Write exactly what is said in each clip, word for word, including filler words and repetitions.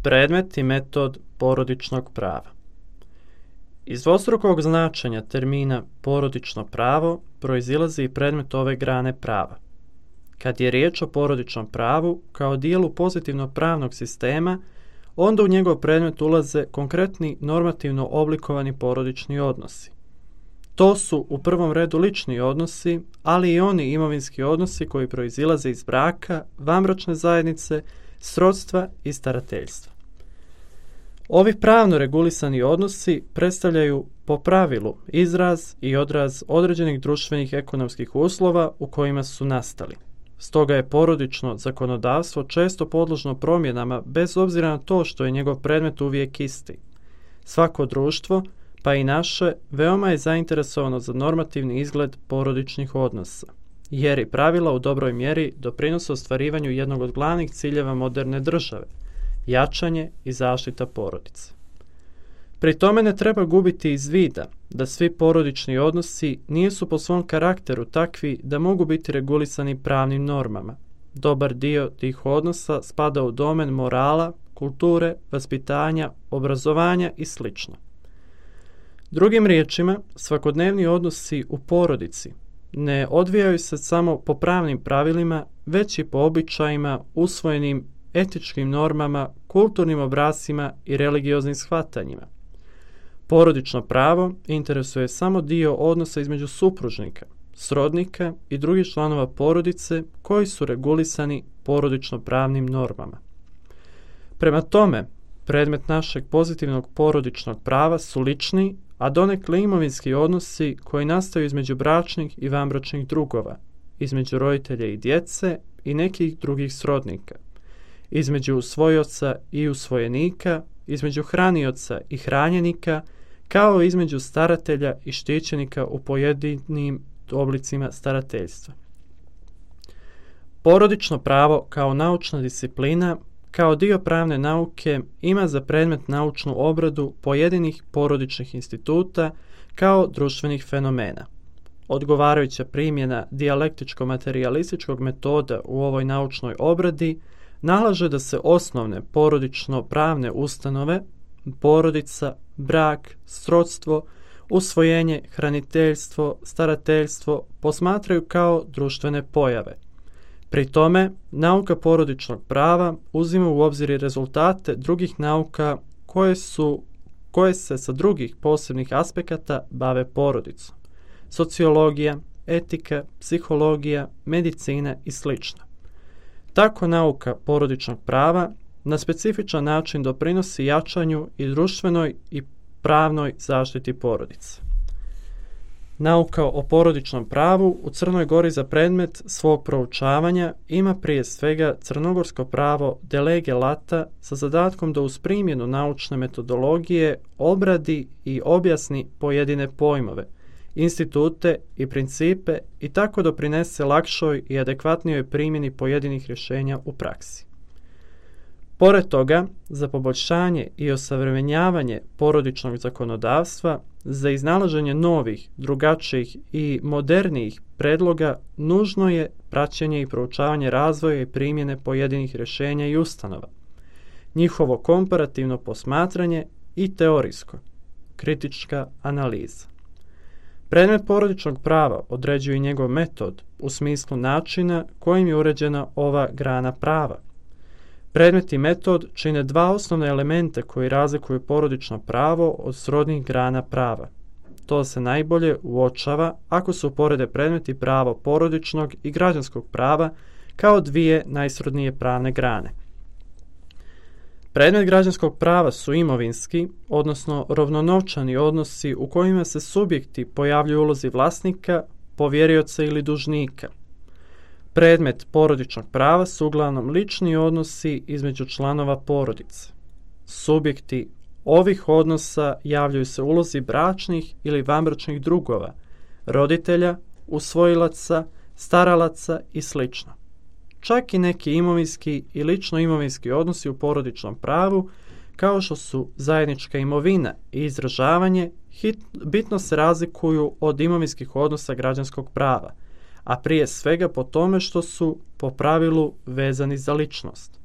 Predmet i metod porodičnog prava. Iz dvostrukog značenja termina porodično pravo proizilazi i predmet ove grane prava. Kad je riječ o porodičnom pravu kao dijelu pozitivnog pravnog sistema, onda u njegov predmet ulaze konkretni normativno oblikovani porodični odnosi. To su u prvom redu lični odnosi, ali i oni imovinski odnosi koji proizilaze iz braka, vanbračne zajednice, srodstva i starateljstva. Ovi pravno regulisani odnosi predstavljaju po pravilu izraz i odraz određenih društvenih ekonomskih uslova u kojima su nastali. Stoga je porodično zakonodavstvo često podložno promjenama bez obzira na to što je njegov predmet uvijek isti. Svako društvo, pa i naše, veoma je zainteresovano za normativni izgled porodičnih odnosa, jer i pravila u dobroj mjeri doprinose ostvarivanju jednog od glavnih ciljeva moderne države – jačanje i zaštita porodice. Pri tome ne treba gubiti iz vida da svi porodični odnosi nisu po svom karakteru takvi da mogu biti regulisani pravnim normama. Dobar dio tih odnosa spada u domen morala, kulture, vaspitanja, obrazovanja i sl. Drugim riječima, svakodnevni odnosi u porodici ne odvijaju se samo po pravnim pravilima, već i po običajima, usvojenim etičkim normama, kulturnim obrascima i religioznim shvatanjima. Porodično pravo interesuje samo dio odnosa između supružnika, srodnika i drugih članova porodice koji su regulisani porodično pravnim normama. Prema tome, predmet našeg pozitivnog porodičnog prava su lični, a donekle imovinski odnosi koji nastaju između bračnih i vanbračnih drugova, između roditelja i djece i nekih drugih srodnika, između usvojioca i usvojenika, između hranioca i hranjenika, kao i između staratelja i štićenika u pojedinim oblicima starateljstva. Porodično pravo kao naučna disciplina, kao dio pravne nauke, ima za predmet naučnu obradu pojedinih porodičnih instituta kao društvenih fenomena. Odgovarajuća primjena dijalektičko-materijalističkog metoda u ovoj naučnoj obradi nalaže da se osnovne porodično-pravne ustanove, porodica, brak, srodstvo, usvojenje, hraniteljstvo, starateljstvo posmatraju kao društvene pojave. Pri tome, nauka porodičnog prava uzima u obzir i rezultate drugih nauka koje, su, koje se sa drugih posebnih aspekata bave porodicom. Sociologija, etika, psihologija, medicina i sl. Tako nauka porodičnog prava na specifičan način doprinosi jačanju i društvenoj i pravnoj zaštiti porodice. Nauka o porodičnom pravu u Crnoj Gori za predmet svog proučavanja ima prije svega crnogorsko pravo de lege lata sa zadatkom da uz primjenu naučne metodologije obradi i objasni pojedine pojmove, institute i principe i tako doprinese lakšoj i adekvatnijoj primjeni pojedinih rješenja u praksi. Pored toga, za poboljšanje i osavremenjavanje porodičnog zakonodavstva, za iznalaženje novih, drugačijih i modernijih predloga, nužno je praćenje i proučavanje razvoja i primjene pojedinih rješenja i ustanova, njihovo komparativno posmatranje i teorijsko, kritička analiza. Predmet porodičnog prava određuje i njegov metod u smislu načina kojim je uređena ova grana prava. Predmet i metod čine dva osnovna elementa koji razlikuju porodično pravo od srodnih grana prava. To se najbolje uočava ako se uporede predmet i pravo porodičnog i građanskog prava kao dvije najsrodnije pravne grane. Predmet građanskog prava su imovinski, odnosno rovnonovčani odnosi u kojima se subjekti pojavljuju u ulozi vlasnika, povjerioca ili dužnika. Predmet porodičnog prava su uglavnom lični odnosi između članova porodice. Subjekti ovih odnosa javljaju se u ulozi bračnih ili vanbračnih drugova, roditelja, usvojilaca, staralaca i sl. Čak i neki imovinski i lično imovinski odnosi u porodičnom pravu, kao što su zajednička imovina i izražavanje, hit, bitno se razlikuju od imovinskih odnosa građanskog prava, a prije svega po tome što su po pravilu vezani za ličnost.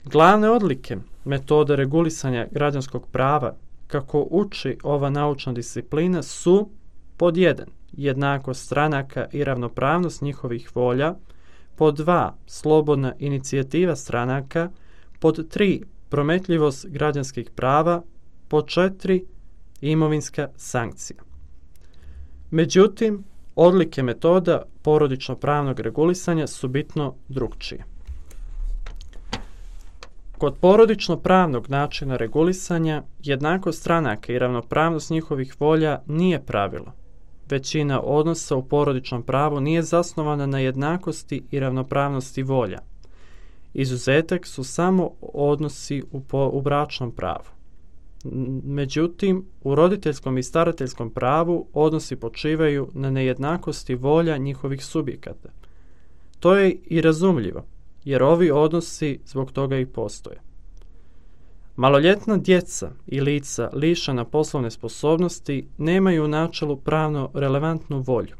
Glavne odlike metode regulisanja građanskog prava, kako uči ova naučna disciplina, su pod jedan. Jednakost stranaka i ravnopravnost njihovih volja, pod dva. Slobodna inicijativa stranaka, pod tri. Prometljivost građanskih prava, pod četiri. Imovinska sankcija. Međutim, odlike metoda porodično-pravnog regulisanja su bitno drukčije. Kod porodično-pravnog načina regulisanja, jednakost stranaka i ravnopravnost njihovih volja nije pravilo. Većina odnosa u porodičnom pravu nije zasnovana na jednakosti i ravnopravnosti volja. Izuzetak su samo odnosi u, po, u bračnom pravu. Međutim, u roditeljskom i starateljskom pravu odnosi počivaju na nejednakosti volja njihovih subjekata. To je i razumljivo, jer ovi odnosi zbog toga i postoje. Maloljetna djeca i lica lišena poslovne sposobnosti nemaju u načelu pravno relevantnu volju.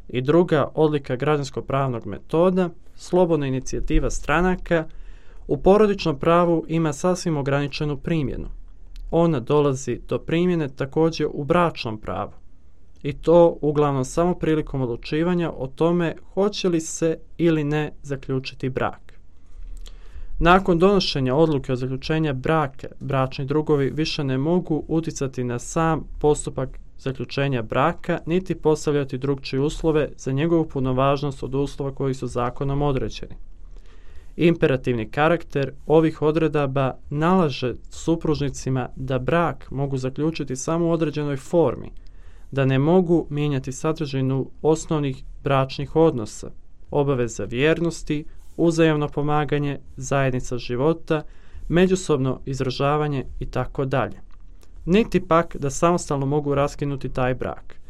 I druga odlika građansko-pravnog metoda, slobodna inicijativa stranaka, u porodičnom pravu ima sasvim ograničenu primjenu. Ona dolazi do primjene također u bračnom pravu. I to uglavnom samo prilikom odlučivanja o tome hoće li se ili ne zaključiti brak. Nakon donošenja odluke o zaključenju braka, bračni drugovi više ne mogu utjecati na sam postupak zaključenja braka, niti postavljati drukčije uslove za njegovu punovažnost od uslova koji su zakonom određeni. Imperativni karakter ovih odredaba nalaže supružnicima da brak mogu zaključiti samo u određenoj formi, da ne mogu mijenjati sadržinu osnovnih bračnih odnosa, obaveza vjernosti, uzajamno pomaganje, zajednica života, međusobno izražavanje i tako dalje. Niti pak da samostalno mogu raskinuti taj brak.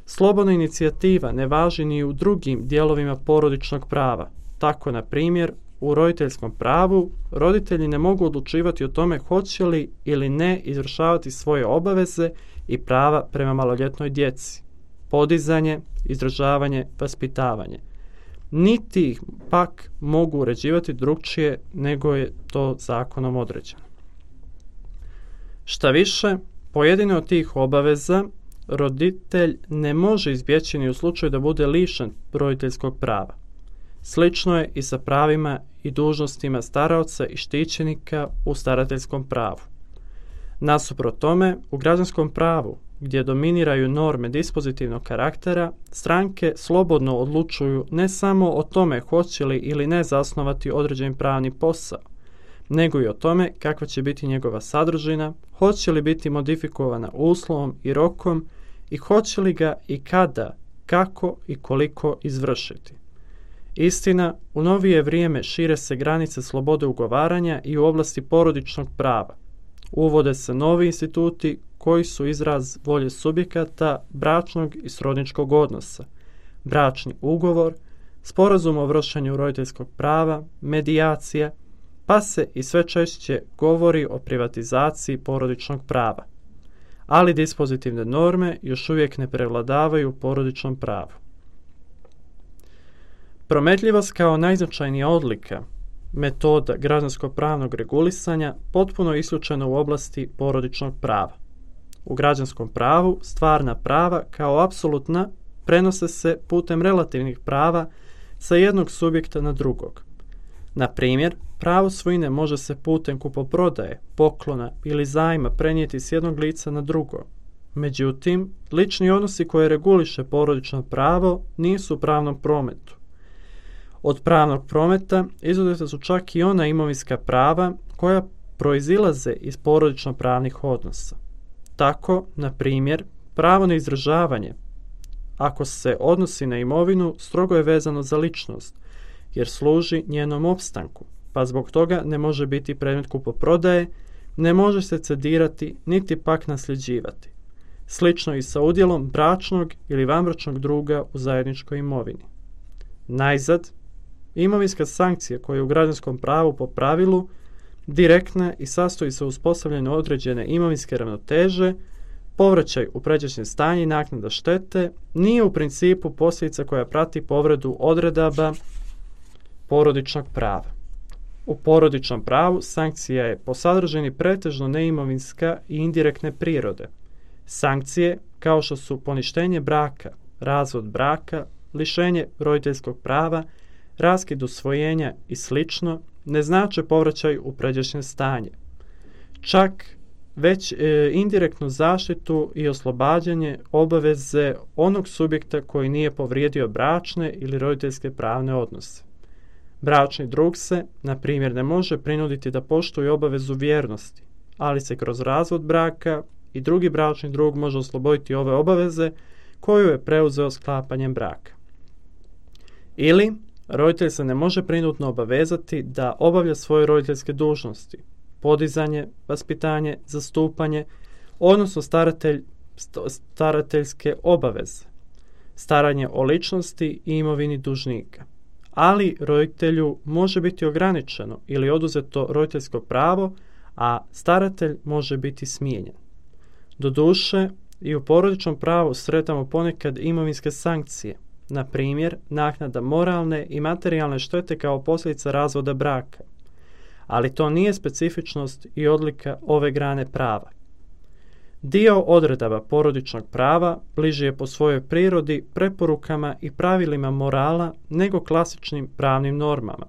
Slobodna inicijativa ne važi ni u drugim dijelovima porodičnog prava. Tako, na primjer, u roditeljskom pravu roditelji ne mogu odlučivati o tome hoće li ili ne izvršavati svoje obaveze i prava prema maloljetnoj djeci. Podizanje, izražavanje, vaspitavanje. Niti ih pak mogu uređivati drukčije nego je to zakonom određeno. Šta više, pojedine od tih obaveza roditelj ne može izbjeći ni u slučaju da bude lišen roditeljskog prava. Slično je i sa pravima i dužnostima staraoca i štićenika u starateljskom pravu. Nasuprot tome, u građanskom pravu, gdje dominiraju norme dispozitivnog karaktera, stranke slobodno odlučuju ne samo o tome hoće li ili ne zasnovati određen pravni posao, nego i o tome kakva će biti njegova sadržina, hoće li biti modifikovana uslovom i rokom i hoće li ga i kada, kako i koliko izvršiti. Istina, u novije vrijeme šire se granice slobode ugovaranja i u oblasti porodičnog prava. Uvode se novi instituti koji su izraz volje subjekata bračnog i srodničkog odnosa, bračni ugovor, sporazum o vršenju roditeljskog prava, medijacija, pa se i sve češće govori o privatizaciji porodičnog prava. Ali dispozitivne norme još uvijek ne prevladavaju u porodičnom pravu. Prometljivost kao najznačajnija odlika metoda građansko-pravnog regulisanja potpuno isključena u oblasti porodičnog prava. U građanskom pravu stvarna prava kao apsolutna prenose se putem relativnih prava sa jednog subjekta na drugog. Na primjer, pravo svojine može se putem kupoprodaje, poklona ili zajma prenijeti s jednog lica na drugo. Međutim, lični odnosi koje reguliše porodično pravo nisu u pravnom prometu. Od pravnog prometa izuzeta su čak i ona imovinska prava koja proizilaze iz porodično-pravnih odnosa. Tako, na primjer, pravo na izražavanje, ako se odnosi na imovinu, strogo je vezano za ličnost, jer služi njenom opstanku, pa zbog toga ne može biti predmet kupoprodaje, ne može se cedirati, niti pak nasljeđivati. Slično i sa udjelom bračnog ili vanbračnog druga u zajedničkoj imovini. Najzad, imovinska sankcija koja je u građanskom pravu po pravilu direktna i sastoji se u uspostavljanju određene imovinske ravnoteže, povraćaj u pređašnje stanje i naknada štete, nije u principu posljedica koja prati povredu odredaba porodičnog prava. U porodičnom pravu sankcija je po sadržini pretežno neimovinska i indirektne prirode. Sankcije, kao što su poništenje braka, razvod braka, lišenje roditeljskog prava, raskid usvojenja i slično, ne znače povraćaj u pređašnje stanje. Čak već e, indirektnu zaštitu i oslobađanje obaveze onog subjekta koji nije povrijedio bračne ili roditeljske pravne odnose. Bračni drug se, na primjer, ne može prinuditi da poštuje obavezu vjernosti, ali se kroz razvod braka i drugi bračni drug može osloboditi ove obaveze koju je preuzeo sklapanjem braka. Ili, roditelj se ne može prinudno obavezati da obavlja svoje roditeljske dužnosti, podizanje, vaspitanje, zastupanje, odnosno staratelj, starateljske obaveze, staranje o ličnosti i imovini dužnika. Ali roditelju može biti ograničeno ili oduzeto roditeljsko pravo, a staratelj može biti smijenjen. Doduše, i u porodičnom pravu sretamo ponekad imovinske sankcije, na primjer naknada moralne i materijalne štete kao posljedica razvoda braka. Ali to nije specifičnost i odlika ove grane prava. Dio odredaba porodičnog prava bliži je po svojoj prirodi preporukama i pravilima morala nego klasičnim pravnim normama,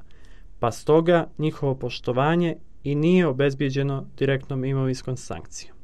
pa stoga njihovo poštovanje i nije obezbijeđeno direktnom imovinskom sankcijom.